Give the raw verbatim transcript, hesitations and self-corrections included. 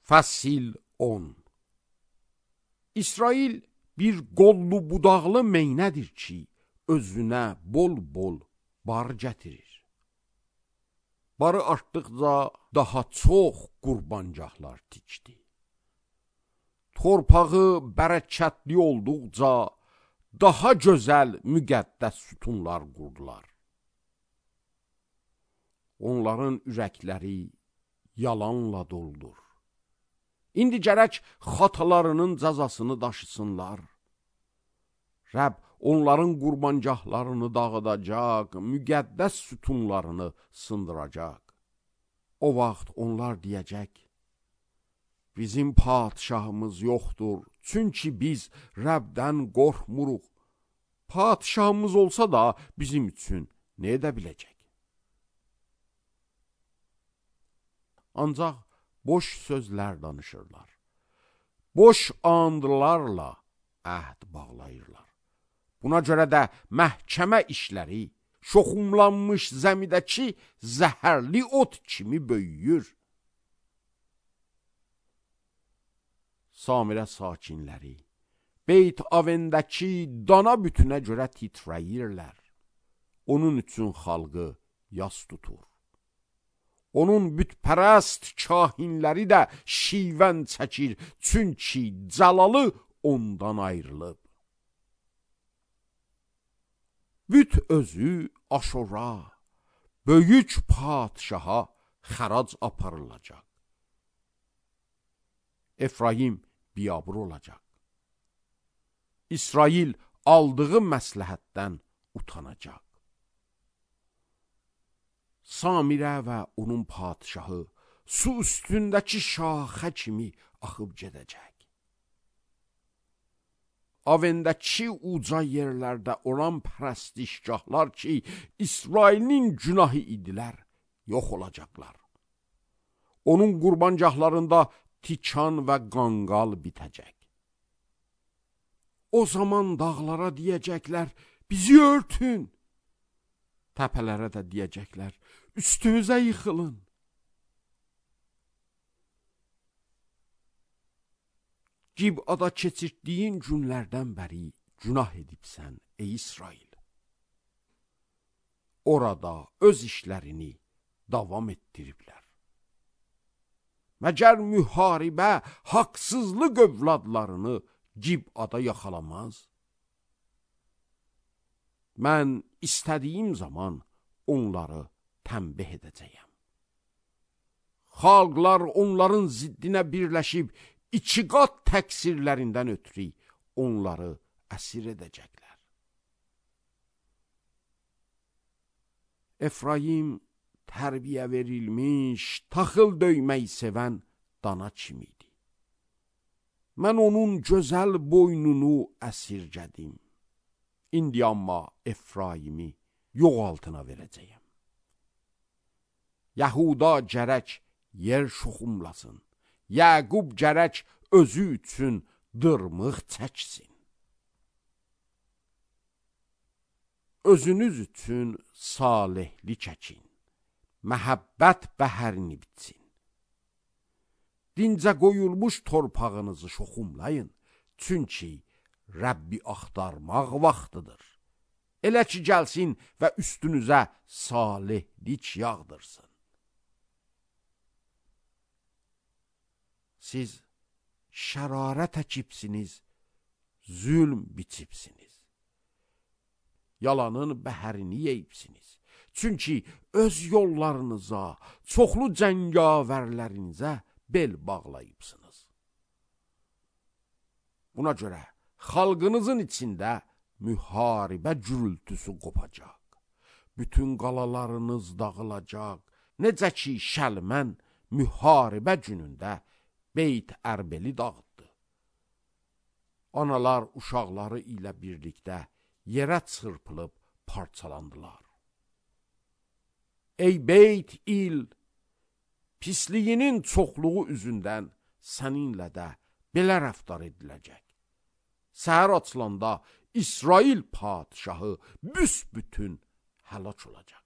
Fəsil on. İsrail bir qollu budaqlı meynədir ki, özünə bol-bol bar gətirir. Barı artdıqca daha çox qurbancaqlar tikdi. Torpağı bərəkətli olduqca daha gözəl müqəddəs sütunlar qurdular. Onların ürəkləri yalanla doldur. İndi gərək xatalarının cəzasını daşısınlar. Rəbb onların qurbancaqlarını dağıdacaq, müqəddəs sütunlarını sındıracaq. O vaxt onlar deyəcək, bizim padişahımız yoxdur, çünki biz Rəbdən qorxmuruq. Padişahımız olsa da bizim üçün nə edə biləcək? Ancaq boş sözlər danışırlar. Boş andlarla əhd bağlayırlar. Buna görə də məhkəmə işləri şoxumlanmış zəmidəki zəhərli ot kimi böyüyür. Samirə sakinləri Beyt Avendəki dana bütünə görə titrəyirlər. Onun üçün xalqı yas tutur. Onun bütpərəst kahinləri də şivən çəkir, çünki cəlalı ondan ayrılıb. Büt özü Aşura, böyük padişaha xərac aparılacaq. Efraim biyabır olacaq. İsrail aldığı məsləhətdən utanacaq. Samirə və onun padişahı su üstündəki şaxə kimi axıb gedəcək. Avendəki uca yerlərdə olan pərəstişgahlar ki, İsrailin günahı idilər, yox olacaqlar. Onun qurbancaqlarında tikan və qanqal bitəcək. O zaman dağlara deyəcəklər, bizi örtün. Təpələrə də deyəcəklər, üstümüzə yıxılın. Gibada keçirtdiyin günlərdən bəri günah edibsən, ey İsrail. Orada öz işlərini davam etdiriblər. Məgər müharibə haqsızlıq övladlarını Gibada yaxalamaz? Mən istədiyim zaman onları tənbih edəcəyəm. Xalqlar onların ziddinə birləşib, iki qat təqsirlərindən ötürü onları əsir edəcəklər. Efraim tərbiyə verilmiş, taxıl döymək sevən dana kimidir. Mən onun gözəl boynunu əsirgədim. İndi amma Efraimi yox altına verəcəyəm. Yahuda gərək yer şoxumlasın. Yəqub gərək özü üçün dırmıq çəksin. Özünüz üçün salihlik çəkin. Məhəbbət bəhərini bitsin. Dincə qoyulmuş torpağınızı şoxumlayın. Çünki Rəbbi axtarmaq vaxtıdır. Elə ki gəlsin və üstünüzə salihlik yağdırsın. Siz şərarət əkibsiniz, zülm biçibsiniz. Yalanın bəhərini yeyibsiniz. Çünki öz yollarınıza, çoxlu cəngavərlərinizə bel bağlayıbsınız. Buna görə xalqınızın içində müharibə gürültüsü qopacaq. Bütün qalalarınız dağılacaq. Necə ki Şəlmən müharibə günündə Beyt Ərbeli dağıtdı. Analar uşaqları ilə birlikdə yerə çırpılıb parçalandılar. Ey Beyt İl, pisliyinin çoxluğu üzündən səninlə də belə rəftar ediləcək. Səhər açılanda İsrail padişahı büsbütün həlak olacaq.